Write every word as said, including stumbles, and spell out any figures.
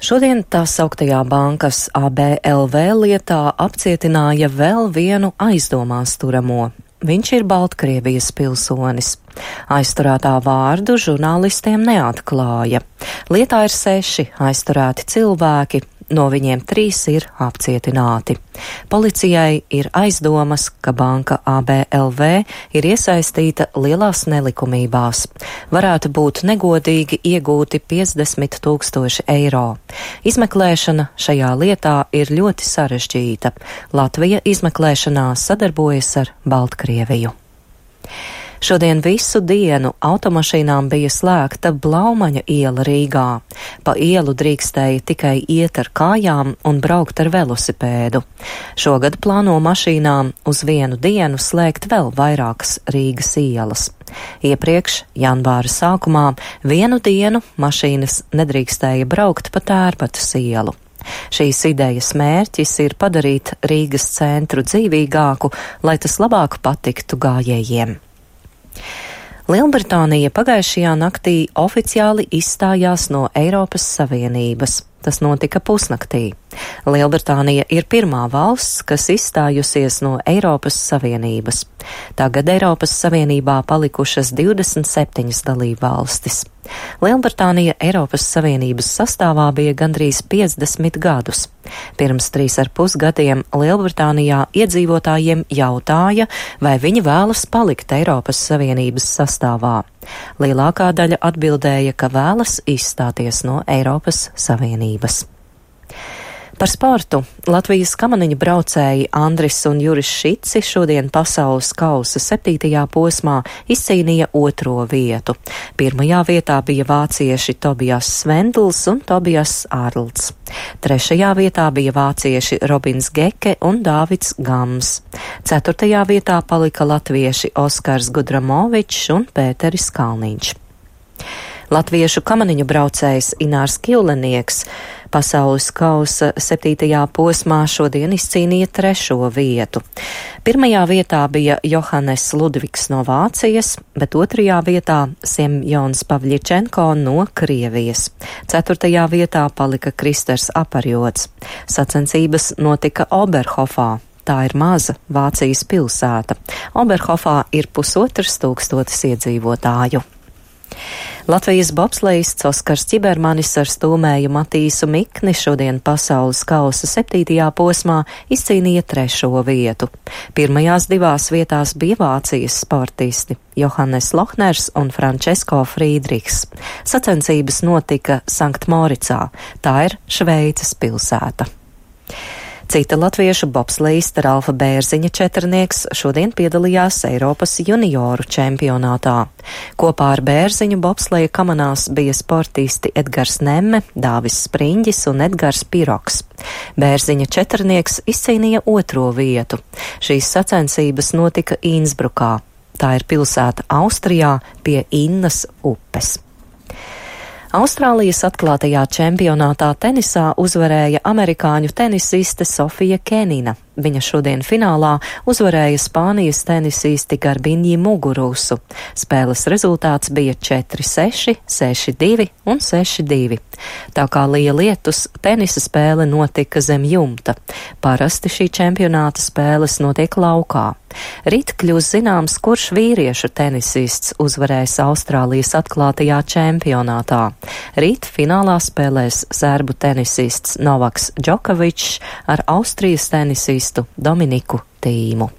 Šodien tā sauktajā bankas A B L V lietā apcietināja vēl vienu aizdomās turamo. Viņš ir Baltkrievijas pilsonis. Aizturētā vārdu žurnālistiem neatklāja. Lietā ir seši aizturēti cilvēki, no viņiem trīs ir apcietināti. Policijai ir aizdomas, ka banka A B L V ir iesaistīta lielās nelikumībās. Varētu būt negodīgi iegūti piecdesmit tūkstoši eiro. Izmeklēšana šajā lietā ir ļoti sarežģīta. Latvija izmeklēšanā sadarbojas ar Baltkrieviju. Šodien visu dienu automašīnām bija slēgta Blaumaņa iela Rīgā. Pa ielu drīkstēja tikai iet ar kājām un braukt ar velosipēdu. Šogad plāno mašīnām uz vienu dienu slēgt vēl vairākas Rīgas ielas. Iepriekš, janvāra sākumā, vienu dienu mašīnas nedrīkstēja braukt pa Tērbatas ielu. Šīs idejas mērķis ir padarīt Rīgas centru dzīvīgāku, lai tas labāk patiktu gājējiem. Lielbritānija pagājušajā naktī oficiāli izstājās no Eiropas Savienības. Tas notika pusnaktī. Lielbritānija ir pirmā valsts, kas izstājusies no Eiropas Savienības. Tagad Eiropas Savienībā palikušas divdesmit septiņas dalībvalstis. Lielbritānija Eiropas Savienības sastāvā bija gandrīz piecdesmit gadus. Pirms trīs ar pus gadiem Lielbritānijā iedzīvotājiem jautāja, vai viņi vēlas palikt Eiropas Savienības sastāvā. Lielākā daļa atbildēja, ka vēlas izstāties no Eiropas Savienības. Par sportu Latvijas kamaniņu braucēji Andris un Juris Šici šodien pasaules kausa septītajā posmā izcīnīja otro vietu. Pirmajā vietā bija vācieši Tobijas Svendls un Tobijas Ārlds. Trešajā vietā bija vācieši Robins Geke un Dāvids Gams. Ceturtajā vietā palika latvieši Oskars Gudramovičs un Pēteris Kalniņš. Latviešu kamaniņu braucējs Inārs Kjulenieks pasaules kausa septītajā posmā šodien izcīnīja trešo vietu. Pirmajā vietā bija Johannes Ludvigs no Vācijas, bet otrajā vietā Semjons Pavļičenko no Krievijas. Ceturtajā vietā palika Kristers Aparjots. Sacensības notika Oberhofā. Tā ir maza Vācijas pilsēta. Oberhofā ir pusotras tūkstotis iedzīvotāju. Latvijas bobslejists Oskars Čibermanis ar stūmēju Matīsu Mikni šodien pasaules kausa septītajā posmā izcīnīja trešo vietu. Pirmajās divās vietās bija Vācijas sportisti Johannes Lohners un Frančesko Frīdrichs. Sacensības notika Sanktmoricā, tā ir Šveices pilsēta. Cita latviešu bobslejista Ralfa Bērziņa četrnieks šodien piedalījās Eiropas junioru čempionātā. Kopā ar Bērziņu bobsleja kamanās bija sportisti Edgars Nemme, Dāvis Spriņģis un Edgars Piroks. Bērziņa četrnieks izcīnīja otro vietu. Šīs sacensības notika Insbrukā. Tā ir pilsēta Austrijā pie Innas upes. Austrālijas atklātajā čempionātā tenisā uzvarēja amerikāņu tenisiste Sofija Kenina. Viņa šodien finālā uzvarēja Spānijas tenisisti Garbiņi Mugurusu. Spēles rezultāts bija četri seši, seši divi un seši divi. Tā kā lija lietus, tenisa spēle notika zem jumta. Parasti šī čempionāta spēles notiek laukā. Rīt kļūs zināms, kurš vīriešu tenisists uzvarēs Austrālijas atklātajā čempionātā. Rīt finālā spēlēs serbu tenisists Novaks Džokovičs ar Austrijas tenisistu Dominiku Tīmu.